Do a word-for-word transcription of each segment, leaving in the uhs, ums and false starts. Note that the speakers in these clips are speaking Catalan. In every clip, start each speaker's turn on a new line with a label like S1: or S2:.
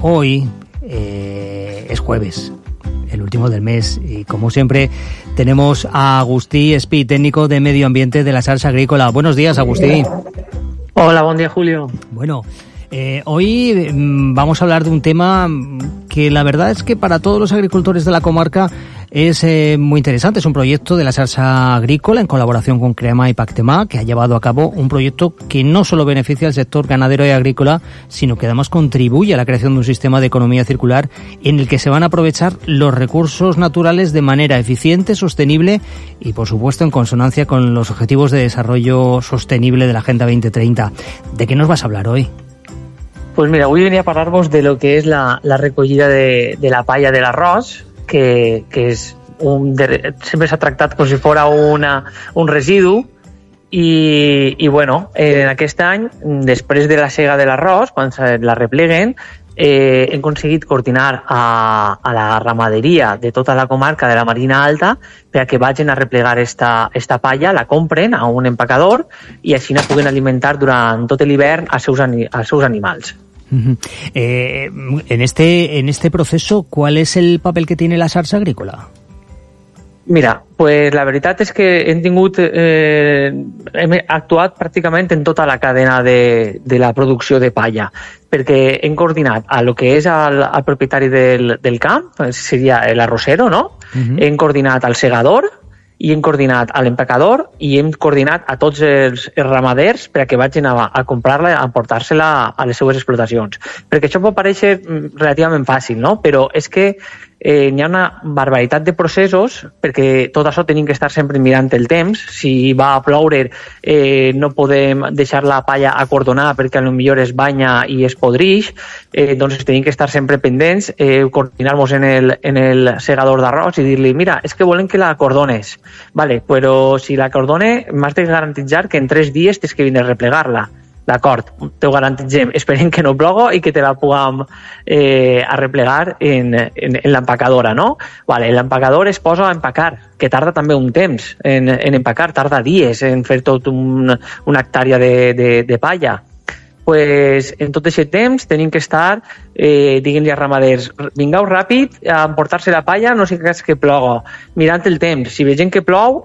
S1: Hoy eh, es jueves, el último del mes, y como siempre tenemos a Agustí Espí, técnico de medio ambiente de la Sarsa Agrícola. Buenos días, Agustí.
S2: Hola, buen día, Julio.
S1: Bueno, eh, hoy mmm, vamos a hablar de un tema que la verdad es que para todos los agricultores de la comarca es eh, muy interesante. Es un proyecto de la Sarsa Agrícola en colaboración con Crema y Pactemá, que ha llevado a cabo un proyecto que no solo beneficia al sector ganadero y agrícola, sino que además contribuye a la creación de un sistema de economía circular en el que se van a aprovechar los recursos naturales de manera eficiente, sostenible y, por supuesto, en consonancia con los objetivos de desarrollo sostenible de la Agenda veinte treinta. ¿De qué nos vas a hablar hoy?
S2: Pues mira, avui venia a parlar-vos de lo que és la, la recollida de, de la palla de l'arròs, que, que és un, de, sempre s'ha tractat com si fos una, un residu, i, i bueno, en aquest any, després de la sega de l'arròs, quan se la repleguen, eh, hem aconseguit coordinar a, a la ramaderia de tota la comarca de la Marina Alta perquè vagin a replegar esta, esta palla, la compren a un empacador i així la puguen alimentar durant tot l'hivern als seus, als seus animals.
S1: Uh-huh. Eh, en este en este proceso, ¿cuál es el papel que tiene la Sarsa Agrícola?
S2: Mira, pues la veritat és que hem tingut, eh, hem actuat pràcticament en tota la cadena de, de la producció de palla, perquè hem coordinat a lo que és el, el propietari del, del camp, seria l'arrossero, no? Uh-huh. Hem coordinat al segador, i hem coordinat a l'empacador i hem coordinat a tots els, els ramaders perquè vagin a, a comprar-la, a portar-se-la a les seues explotacions. Perquè això pot parèixer relativament fàcil, no? Però és que eh, n'hi ha una barbaritat de processos, perquè tot això tenim que estar sempre mirant el temps. Si va a ploure, eh, no podem deixar la palla acordonar perquè potser es banya i es podrix, eh, doncs tenim que estar sempre pendents, eh, coordinar-nos en el, en el segador d'arròs i dir-li, mira, és que volem que la acordones. Vale, però si la acordone, m'has de garantitzar que en tres dies tens que vindre a replegar-la. D'acord, t'ho garantitzem. Esperem que no plogo i que te la puguem eh, arreplegar en, en, en l'empacadora, no? Vale, l'empacador es posa a empacar, que tarda també un temps en, en empacar, tarda dies en fer tot un, una hectàrea de, de, de palla. Pues en tot aquest temps tenim que estar, eh, diguem-li als ramaders, vingueu ràpid a emportar-se la palla, no sé cas que plogo, mirant el temps. Si vegem que plou,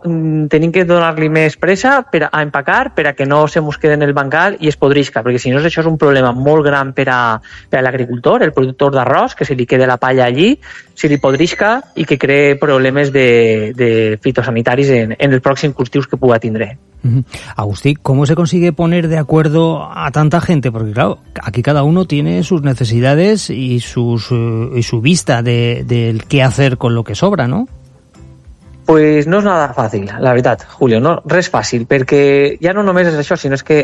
S2: tenim que donar-li més pressa per a empacar, per a que no se mos quede en el bancal i es podrisca, perquè si no això és un problema molt gran per a, per a l'agricultor, el productor d'arròs, que se li quede la palla allí, se li podrisca i que cree problemes de, de fitosanitaris en, en els pròxims cultius que puga tindre.
S1: Uh-huh. Agustí, ¿cómo se consigue poner de acuerdo a tanta gente? Porque claro, aquí cada uno tiene sus necesidades y, sus, uh, y su vista de, de qué hacer con lo que sobra, ¿no?
S2: Pues no és nada fàcil, la veritat, Julio, no, res fàcil, perquè ja no només és això, sinó és que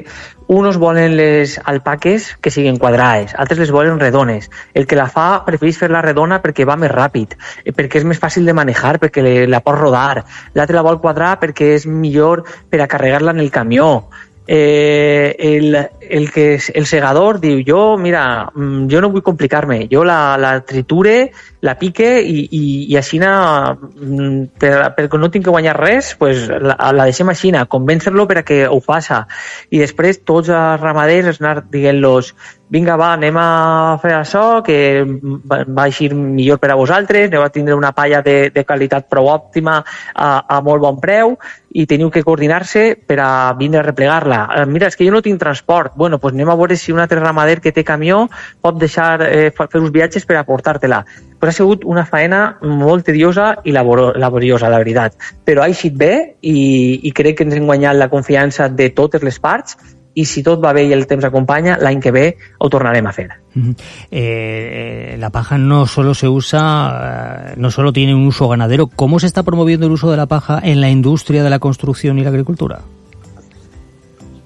S2: uns volen les alpaques que siguin quadrades, altres les volen redones. El que la fa prefereix fer-la redona perquè va més ràpid, perquè és més fàcil de manejar, perquè la pot rodar. L'altre la vol quadrar perquè és millor per a carregar-la en el camió. Eh, el, el que és el segador diu, jo, mira, jo no vull complicar-me, jo la, la triture, la pique i, i, i així per, perquè no tinc que guanyar res, pues la, la deixem així, convèncer-lo per a que ho faça. I després tots els ramaders anar dient-los, vinga, va, anem a fer això, que va eixir millor per a vosaltres, aneu a tindre una palla de, de qualitat prou òptima a, a molt bon preu i teniu que coordinar-se per a vindre a replegar-la. Mira, és que jo no tinc transport. Bueno, doncs anem a veure si un altre ramader que té camió pot deixar eh, fer uns viatges per a portar-te-la. Pues ha sigut una faena molt tediosa i labor, laboriosa, la veritat. Però ha eixit bé i, i crec que ens hem guanyat la confiança de totes les parts i si tot va bé i el temps acompanya, l'any que ve ho tornarem a fer.
S1: Uh-huh. Eh, la paja no solo se usa, no solo tiene un uso ganadero. ¿Cómo se está promoviendo el uso de la paja en la industria de la construcción y la agricultura?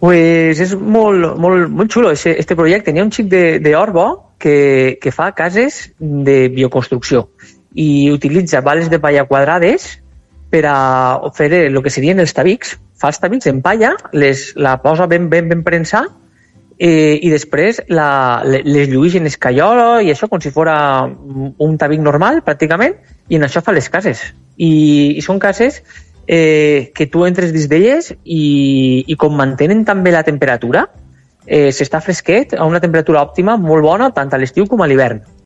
S2: Pues és molt, molt, molt xulo este, este projecte. N'hi ha un xic d'Orbo que, que fa cases de bioconstrucció i utilitza bales de palla quadrades per a fer el que serien els tabics. Fa els tabics en palla, les, la posa ben, ben, ben prensar eh, i després la, les lluís en escaiola i això com si fos un tabic normal pràcticament i en això fa les cases. I, i són cases eh, que tu entres dins d'elles i, i com mantenen també la temperatura, eh, s'està fresquet, a una temperatura òptima, molt bona, tant a l'estiu com a l'hivern.